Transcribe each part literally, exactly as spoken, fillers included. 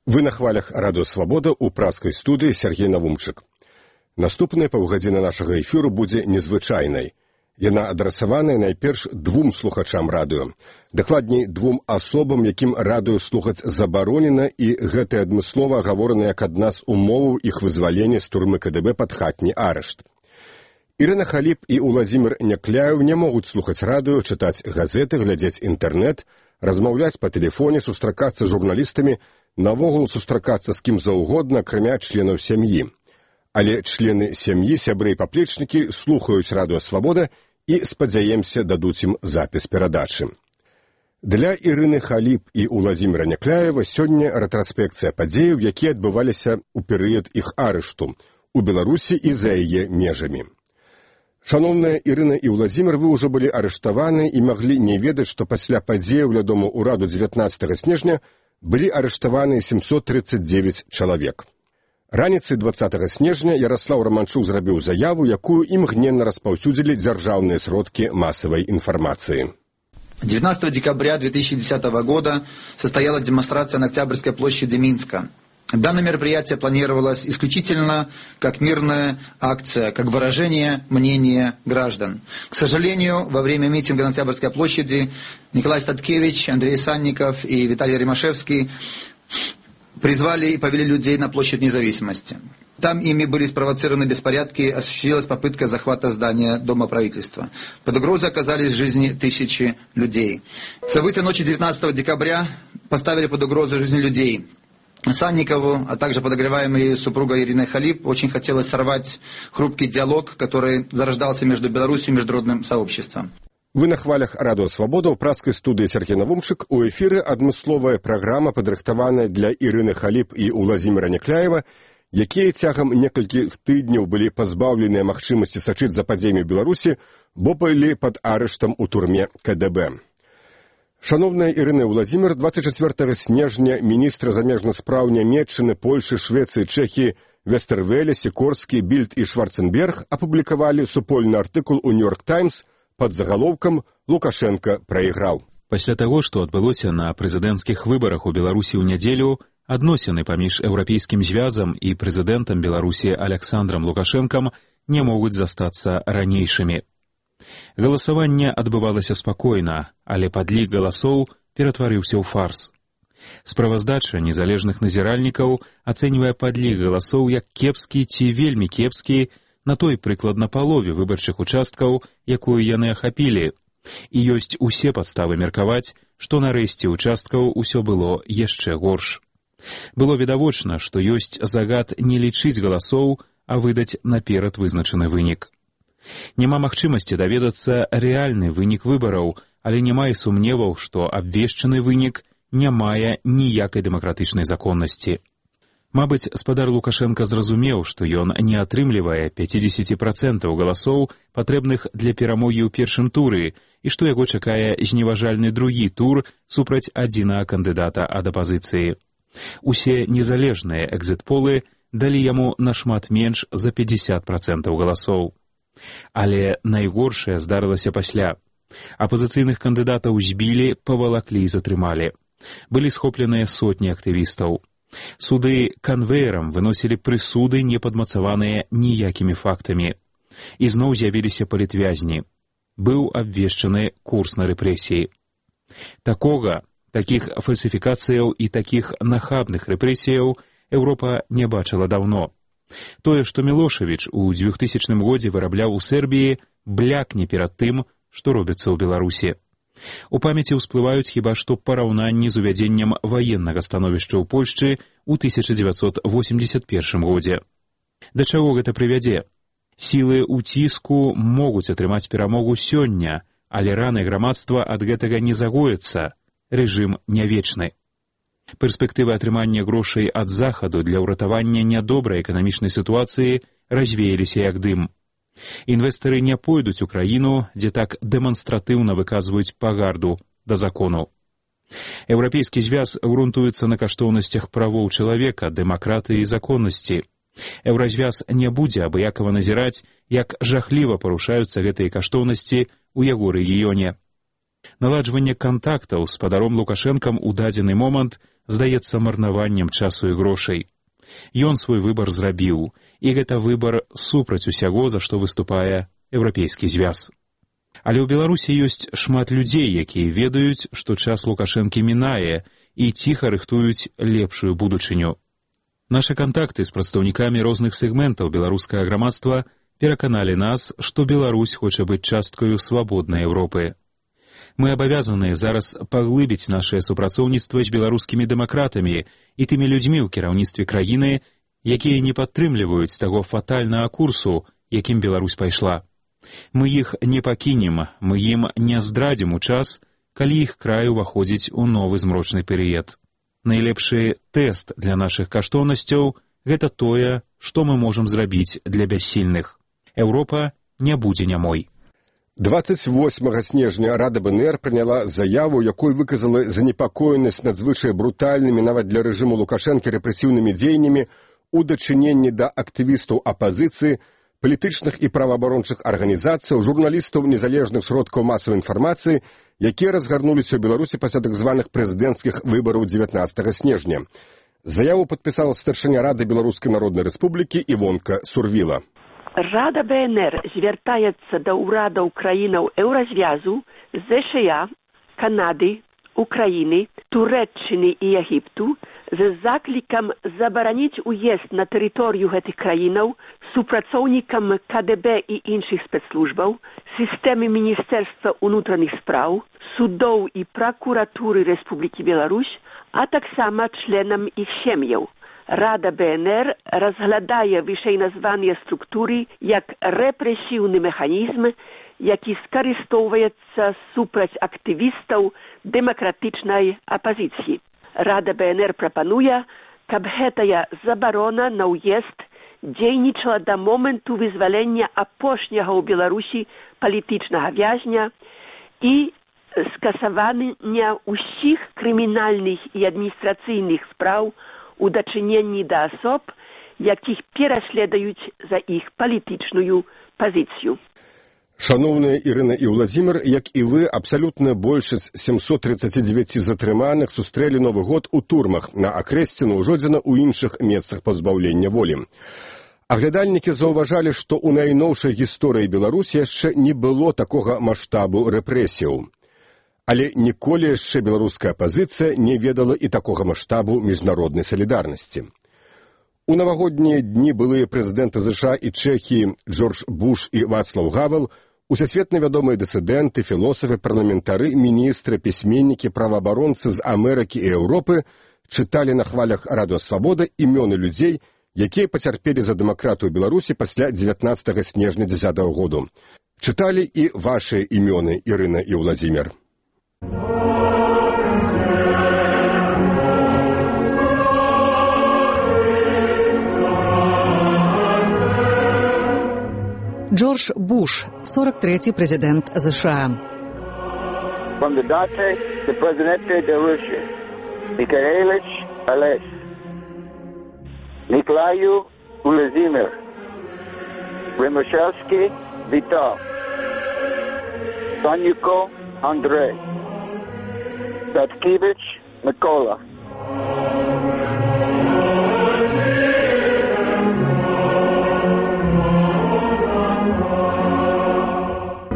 Вы на хвалях радыё Свабода ў праскай студыі Сергей Навумчык. Наступная паўгадзіна нашага эфіру будзе незвычайнай. Яна адрасаваная найперш двум слухачам радыё. Дакладней, двум асобам, якім радыё слухаць забаронена, і гэта адмыслова агаворана як адна з умоваў іх вызвалення з турмы ка дэ бэ пад хатні арышт. Ірына Халіп і Уладзімір Някляеў не могуць слухаць радыё, чытаць газеты, глядзець інтэрнэт, размаўляць па тэлефоне, сустракацца з журналістамі, навогул сустракацца з кім заўгодна, акрамя членаў сям'і. Але члены сям'і, сябры і паплечнікі слухаюць радыё Свабода і, спадзяемся, дадуць ім запіс перадачы. Для Ірыны Халіп і Уладзіміра Някляева сёння рэтраспекцыя падзеяў, якія адбываліся ў перыяд іх арышту у Беларусі і за яе межамі. Шаноўная Ірына і Уладзімір, вы ўжо былі арыштаваны і маглі не ведаць, што пасля падзеяў ля дому ўраду дзевятнаццатага снежня былі арыштаваны сямсот трыццаць дзевяць чалавек. Раніцай дваццатага снежня Яраслаў Раманчук зрабіў заяву, якую імгненна распаўсюдзілі дзяржаўныя сродкі масавай информации. девятнадцатого декабря две тысячи десятого года состоялась демонстрация на Октябрьской площади Минска. Данное мероприятие планировалось исключительно как мирная акция, как выражение мнения граждан. К сожалению, во время митинга на Октябрьской площади Николай Статкевич, Андрей Санников и Виталий Римашевский призвали и повели людей на площадь Независимости. Там ими были спровоцированы беспорядки, осуществилась попытка захвата здания Дома правительства. Под угрозой оказались жизни тысячи людей. События ночи девятнадцатого декабря поставили под угрозу жизни людей. Санникову, а также подогреваемой супругой Ириной Халіп, очень хотелось сорвать хрупкий диалог, который зарождался между Беларусью и международным сообществом. Вы на хвалях радыё Свабода ў праскай студыі Сергей Навумчык. У эфіры адмысловая праграма, падрыхтаваная для Ірыны Халіп і Уладзіміра Някляева, якія цягам некалькіх тыдняў былі пазбаўленыя магчымасці сачыць за падзеямі Беларусі, бо былі пад арыштам у турме ка дэ бэ. Шановная Ірына і Уладзімір, двадцать чацвёртага снежня міністры замежных спраў Нямецчыны, Польшы, Швецыі, Чэхіі, Вестэрвэле, Сікорскі, Більд і Шварценберг апублікавалі супольны артыкул у Нью-Йорк Таймс пад загалоўкам «Лукашенко прайграў». Пасля таго, што адбылося на прэзідэнцкіх выбарах у Беларусі ў нядзелю, адносіны паміж Еўрапейскім звязам і прэзідэнтам Беларусі Аляксандрам Лукашэнкам не могуць застацца ранейшымі. Галасаванне адбывалася спакойна, але падлік галасоў ператварыўся ў фарс. Справаздача незалежных назіральнікаў ацэньвае падлік галасоў як кепскі ці вельмі кепскі на той прыкладна палове выбарчых участкаў, якую яны ахапілі, і ёсць усе падставы меркаваць, што нарэшце участкаў усё было яшчэ горш. Было відавочна, што ёсць загад не лічыць галасоў, а выдаць наперад вызначаны вынік. Няма магчымасці даведацца рэальны вынік выбараў, але няма і сумневаў, што абвешчаны вынік не мае ніякай дэмакратычнай законнасці. Мабыць, спадар Лукашенка зразумеў, што ён не атрымлівае пяцьдзесят працэнтаў галасоў, патрэбных для перамогі ў першым туры, і што яго чакае зневажальны другі тур супраць адзінага кандыдата ад апазіцыі. Усе незалежныя экзіт-полы далі яму нашмат менш за пятьдесят працэнтаў галасоў. Але найгоршае здарылася пасля. Апазіцыйных кандыдатаў збілі, павалаклі і затрымалі. Былі схопленыя сотні актывістаў. Суды канвеерам выносілі прысуды, не падмацаваныя ніякімі фактамі. І зноў з'явіліся палітвязні. Быў абвешчаны курс на рэпрэсіі. Такога, такіх фальсіфікацыяў і такіх нахабных рэпрэсіяў Еўропа не бачыла даўно. Тое, што Мілошавіч у двухтысячным годзе вырабляў у Сербіі, блякне перад тым, што робіцца ў Беларусі. У памяці ўсплываюць хіба што параўнанні з увядзеннем ваеннага становішча ў Польшчы ў тысяча дзевяцьсот восемьдесят первым годзе. Да чаго гэта прывядзе? Сілы ўціску могуць атрымаць перамогу сёння, але раны грамадства ад гэтага не загоіцца. Рэжым не вечны. Перспектывы атрымання грошай ад захаду для ўратавання нядобрай эканамічнай сітуацыі развеяліся як дым. Інвестары не пойдуць у краіну, дзе так дэманстратыўна выказваюць пагарду да закону. Еўрапейскі звяз грунтуецца на каштоўнасцях правоў чалавека, дэмакратыі і законнасці. Еўразвяз не будзе абыякава назіраць, як жахліва парушаюцца гэтыя каштоўнасці ў яго рэгіёне. Наладжванне кантактаў з спадаром Лукашэнкам у дадзены момант здаецца марнаваннем часу і грошай. Ён свой выбар зрабіў, і гэта выбар супраць усяго, за што выступае Еўрапейскі звяз. Але ў Беларусі ёсць шмат людзей, якія ведаюць, што час Лукашэнкі мінае і ціха рыхтуюць лепшую будучыню. Нашы кантакты з прадстаўнікамі розных сегментаў беларускага грамадства пераканалі нас, што Беларусь хоча быць часткаю свабоднай Еўропы. Мы абавязаныя зараз паглыбіць нашае супрацоўніцтва з беларускімі дэмакратамі і тымі людзьмі ў кіраўніцтве краіны, якія не падтрымліваюць таго фатальнага курсу, якім Беларусь пайшла. Мы іх не пакінем, мы ім не здрадзім у час, калі іх край уваходзіць у новы змрочны перыяд. Найлепшы тэст для нашых каштоўнасцяў – гэта тое, што мы можам зрабіць для бяссільных. Еўропа не будзе нямой. дваццаць восьмага снежня Рада БНР прыняла заяву, якой выказала занепакоенасць надзвычай брутальнымі нават для рэжыму Лукашэнкі рэпрэсіўнымі дзеяннямі у дачыненні да актывістаў апазіцыі, палітычных і праваабарончых арганізацыяў, журналістаў незалежных сродкаў масавай інфармацыі, якія разгарнуліся ў Беларусі пасля так званых прэзідэнцкіх выбараў дзевятнаццатага снежня. Заяву падпісала старшыня Рады Беларускай Народнай Рэспублікі Івонка Сурвіла. Рада БНР звяртаецца да ўрадаў краінаў Еўразвязу, ЗША, Канады, Украіны, Турэччыны і Егіпту з заклікам забараніць уезд на тэрыторыю гэтых краінаў супрацоўнікам КДБ і іншых спецслужбаў, сістэмы Міністэрства ўнутраных спраў, судоў і пракуратуры Рэспублікі Беларусь, а таксама членам іх сем'яў. Рада БНР разглядае вышэйназваныя структуры як рэпрэсіўны механізм, які скарыстоўваецца супраць актывістаў дэмакратычнай апазіцыі. Рада БНР прапануе, каб гэтая забарона на ўезд дзейнічала да моманту вызвалення апошняга ў Беларусі палітычнага вязня і скасавання ўсіх крымінальных і адміністрацыйных спраў у дачыненні да асоб, якіх пераследуюць за іх палітычную пазіцыю. Шановная Ірына і Ўладзімір, як і вы, абсалютная большасць сямсот тридцать девять затрыманых сустрэлі Новы год у турмах на Акрэсціну, Ужодзіна ў іншых месцах пазбаўлення волі. Аглядальнікі заўважалі, што ў найноўшай гісторыі Беларусі яшчэ не было такога маштабу рэпрэсіяў. Але ніколі яшчэ беларуская апазіцыя не ведала і такога маштабу міжнароднай салідарнасці. У навагоднія дні былыя прэзідэнты ЗША і Чэхіі Джордж Буш і Вацлаў Гавел, усесветна вядомыя дысідэнты, філосафы, парламентары, міністры, пісьменнікі, праваабаронцы з Амерыкі і Еўропы чыталі на хвалях Радыё Свабода імёны людзей, якія пацярпелі за дэмакратыю Беларусі пасля дзевятнаццатага снежня дзесятага году. Чыталі і вашыя імёны, Ірына і Ўладзімір. Джордж Буш, сорок третий президент США. Кандидаты в президенты Беларуси. Михайлович Олег. Николаю Владимир. Ремешевский Витал. Санюко Андрей. Таткевич Микола.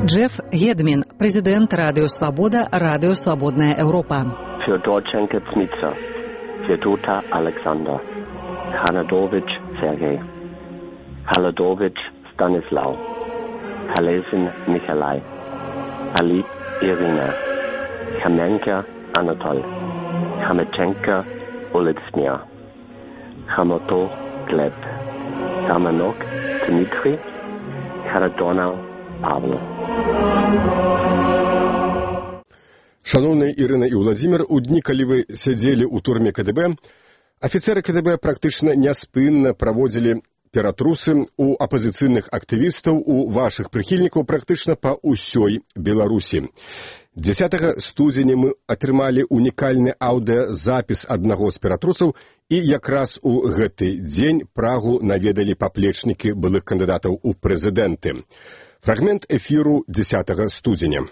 Джеф Гедмін, президент Радіо Свобода, Радіо Свободная Европа. Федорченко Цмитса, Федота Александр, Ханадович Сергей, Халадович Станислав, Халезин Николай, Алип Ирина, Хаменко Анатоль, Хаметченко Олексмир, Хамото Глеб, Таманок Дмитрий, Харадонов Павло. Шановныя Ірына і Ўладзімір, у дні, калі вы сядзелі ў турме КДБ, афіцеры КДБ практычна няспынна праводзілі ператрусы у апазіцыйных актывістаў, у вашых прыхільнікаў практычна па ўсёй Беларусі. дзесятага студзеня мы атрымалі унікальны аўдыазапіс аднаго з ператрусаў, і якраз у гэты дзень Прагу наведалі паплечнікі былых кандыдатаў у прэзідэнты. Фрагмент эфіру дзесятага студзеня.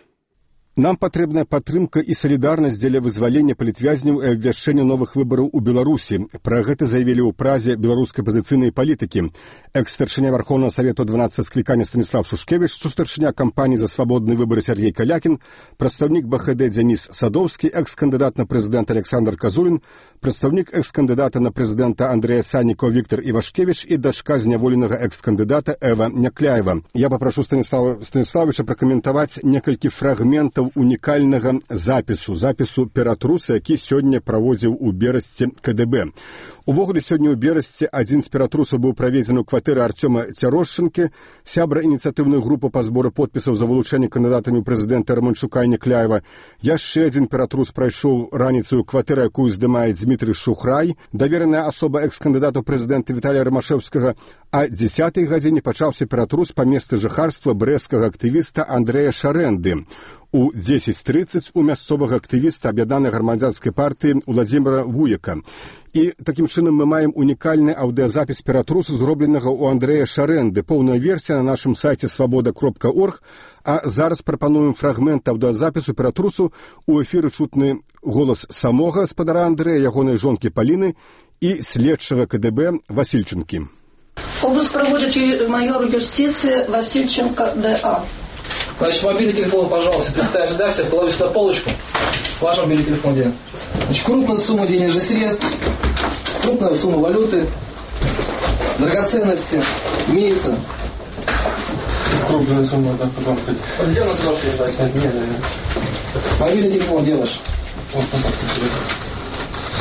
Нам патрэбная падтрымка і салідарнасць дзеля вызвалення палітвязняў і абвяшчэння новых выбараў у Беларусі. Пра гэта заявілі ў празе беларускай апазіцыйнай палітыкі. Экс-старшыня Вархоўнага Савету дванаццатага склікання Станіслав Шушкевіч, сустарчыня кампаніі за свабодныя выбары Сергей Калякін, прадстаўнік БХД Дзяніс Садоўскі, экс-кандыдат на прэзідэнта Александр Казулін, прадстаўнік экс-кандыдата на прэзідэнта Андрэя Саннікаў Віктор Івашкевіч і дачка зняволенага экс-кандыдата Эва Някляева. Я папрашу Станіслава Станіславовича пракаментаваць некалькі фрагментаў унікальнага запісу, запісу піратруса, які сёння праводзіў у Берасці КДБ. Увогуле, сёння ў Берасці адзін з піратрусаў быў праведзены ў кватэры Арцёма Цярошчынкі, сябра ініцыятыўнай групы па збору подпісаў за вылучэнне кандыдатамі ў прэзідэнта Раманчука і Някляева. Яшчэ адзін піратрус прайшоў раніцаю ў кватэры, якую здымае Дмітрый Шухрай, давераная асоба экс-кандыдата ў прэзідэнта Віталія Рамашэўскага, а дзесятай гадзіне пачаўся піратрус па месцы жыхарства брэсцкага актывіста Андрэя Шарэнды. У дзесяць трыццаць у мясцовага актывіста аб'яднанай грамадзянскай партыі Уладзіміра Вуяка. І такім чынам мы маем унікальны аўдыазапіс піратрусу, зробленага ў Андрэя Шарэнды. Поўная версія на нашым сайце свабода кропка орг, а зараз прапануем фрагмент аўдыазапісу піратрусу. У эфіры чутны голас самога гаспадара Андрэя, ягонай жонкі Паліны і следчага КДБ Васільченкі. Обыск проводит майор юстиции Васильченко Д.А. Значит, мобильный телефон, пожалуйста, представь, да, все, положите на полочку. Ваш мобильный телефон где? Значит, крупная сумма денежных средств, крупная сумма валюты, драгоценности, имеется. Крупная сумма, да, потом хоть. Где у нас должен лежать? Нет, нет, нет. Мобильный телефон делаешь? Вот, вот, вот.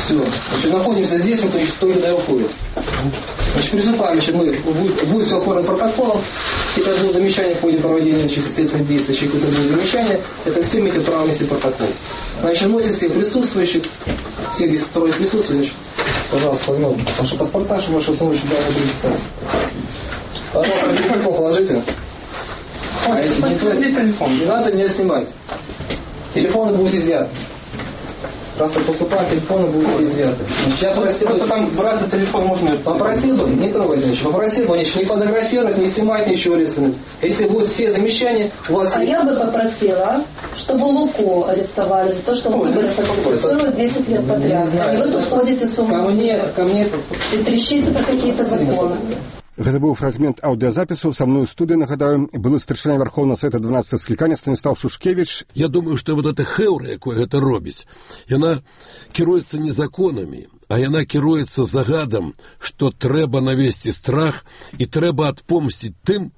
Все. Значит, находимся здесь, никто, никто не уходит. Значит, приступаем, значит, мы, будет, будет все оформлено протоколом. Сейчас будет замечание в ходе проведения следственных действий, если какое-то будет замечание, это все имеет право нести протокол. Значит, носит всех присутствующих, все здесь трое присутствующих, пожалуйста, возьмем ваши паспорта, чтобы ваши установки сюда не переписать. Пожалуйста, телефон положите. А эти не телефон, не надо не снимать. Телефоны будут изъяты. Просто поступая, телефоны будут изъяты. Я просил, просто там брать телефон можно. Попросил бы, не трогать, значит, попросил бы, значит, не фотографировать, не снимать, ничего арестовать. Если будут все замечания, у вас... А есть... я бы попросила, чтобы Луку арестовали за то, что он выборы фальсифицирует десять лет подряд. А вы тут ходите с ума. Ко мне, ко мне... И трещите про какие-то законы. Гэта быў фрагмент аўдыазапісу. Са мной у студыі, нагадаю, былы старшыня Вархоўнага Савета дванаццатага склікання Станіслав Шушкевіч. Я думаю, што вот эта хэўра, якое гэта робіць, яна кіруецца не законамі, а яна кіруецца загадам, што трэба навесці страх і трэба адпомсціць тым,